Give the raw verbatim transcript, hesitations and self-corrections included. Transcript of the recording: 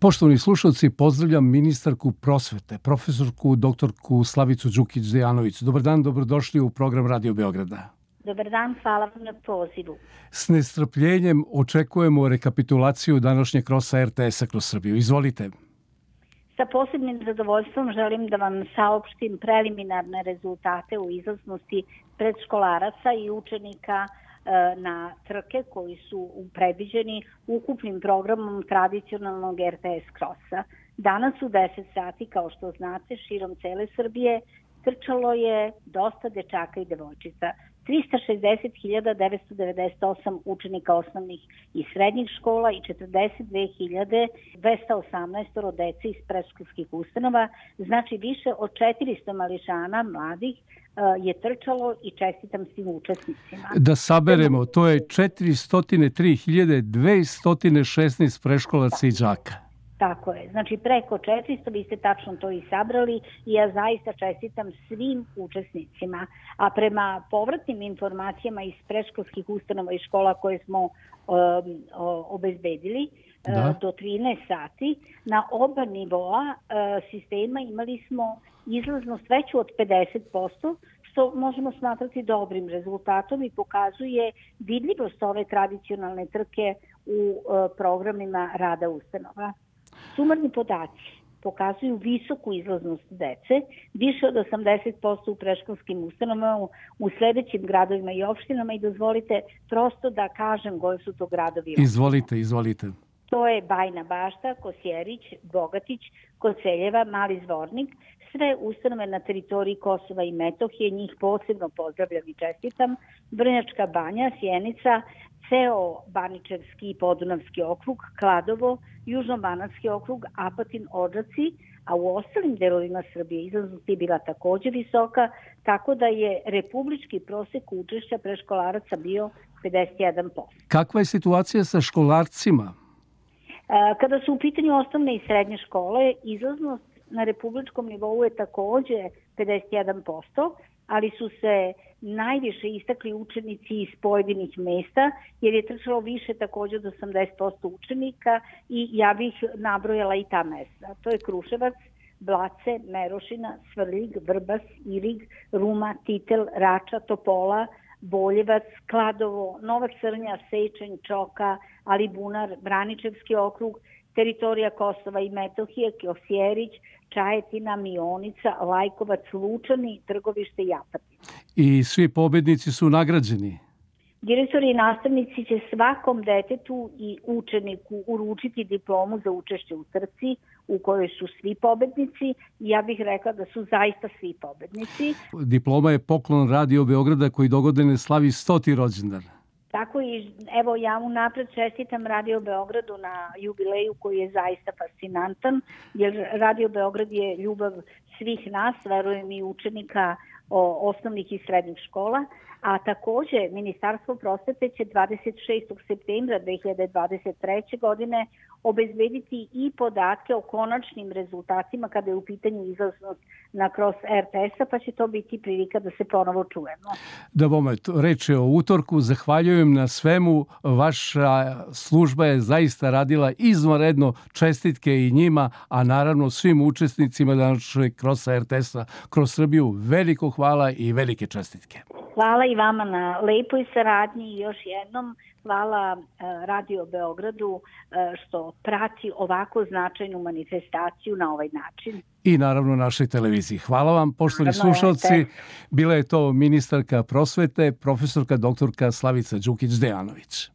Poštovani slušalci, pozdravljam ministarku prosvete, profesorku doktorku Slavicu Đukić-Dejanović. Dobar dan, dobrodošli u program Radio Beograda. Dobar dan, hvala vam na pozivu. S nestrpljenjem očekujemo rekapitulaciju današnjeg krosa er te es-a kroz Srbiju. Izvolite. Sa posebnim zadovoljstvom želim da vam saopštim preliminarne rezultate u izlaznosti predškolaraca i učenika na trke koji su predviđeni ukupnim programom tradicionalnog er te es krosa. Danas u deset sati, kao što znate, širom cele Srbije trčalo je dosta dečaka i devojčica. trista šezdeset hiljada devetsto devedeset osam učenika osnovnih i srednjih škola i četrdeset dve hiljade dvesta osamnaest dece iz predškolskih ustanova, znači više od četiristo mališana mladih je trčalo i čestitam svim učesnicima. Da saberemo, to je četiristo tri hiljade dvesta šesnaest preškolaca i đaka. Tako je. Znači preko četiristo, vi ste tačno to i sabrali i ja zaista čestitam svim učesnicima. A prema povratnim informacijama iz predškolskih ustanova i škola koje smo um, obezbedili, da. do trinaest sati, na oba nivoa uh, sistema imali smo izlaznost veću od pedeset posto, što možemo smatrati dobrim rezultatom i pokazuje vidljivost ove tradicionalne trke u uh, programima rada ustanova. Sumarni podaci pokazuju visoku izlaznost dece, više od osamdeset posto u predškolskim ustanovama u sledećim gradovima i opštinama i dozvolite prosto da kažem koji su to gradovi. Izvolite, izvolite. To je Bajina Bašta, Kosjerić, Bogatić, Koceljeva, Mali Zvornik, sve ustanove na teritoriji Kosova i Metohije, njih posebno pozdravljam i čestitam, Vrnjačka Banja, Sjenica, ceo Baničevski i Podunavski okrug, Kladovo, Južnobanatski okrug, Apatin, Odžaci, a u ostalim delovima Srbije izlaznost je bila takođe visoka, tako da je republički prosek učešća preškolaraca bio pedeset jedan posto. Kakva je situacija sa školarcima? Kada su u pitanju osnovne i srednje škole, izlaznost na republičkom nivou je takođe pedeset jedan posto, ali su se najviše istakli učenici iz pojedinih mesta, jer je trčalo više takođe od osamdeset posto učenika i ja bih nabrojala i ta mesta. To je Kruševac, Blace, Merošina, Svrljig, Vrbas, Irig, Ruma, Titel, Rača, Topola, Boljevac, Kladovo, Nova Crnja, Sečanj, Čoka, Alibunar, Braničevski okrug, teritorija Kosova i Metohije, Kosjerić, Čajetina, Mionica, Lajkovac, Lučani, Trgovište i Apatin. I svi pobednici su nagrađeni? Direktori i nastavnici će svakom detetu i učeniku uručiti diplomu za učešće u trci u kojoj su svi pobednici. Ja bih rekla da su zaista svi pobednici. Diploma je poklon Radio Beograda koji dogodine slavi stoti rođendan. Tako i evo ja unapred čestitam Radio Beogradu na jubileju koji je zaista fascinantan, jer Radio Beograd je ljubav svih nas, verujem i učenika o, osnovnih i srednjih škola, a takođe Ministarstvo prosvete će dvadeset šestog septembra dve hiljade dvadeset treće. godine obezbediti i podatke o konačnim rezultatima kada je u pitanju izlaznost na kroz er te es-a, pa će to biti prilika da se ponovo čujemo. Da bome, reč je o utorku, zahvaljujem na svemu, vaša služba je zaista radila izvanredno, čestitke i njima, a naravno svim učesnicima današnjeg krosa er te es-a kroz Srbiju, veliko hvala i velike čestitke. Hvala i vama na lepoj saradnji i još jednom hvala Radio Beogradu što prati ovako značajnu manifestaciju na ovaj način. I naravno našoj televiziji. Hvala vam, poštovani slušalci. Bila je to ministarka prosvete, profesorka doktorka Slavica Đukić-Dejanović.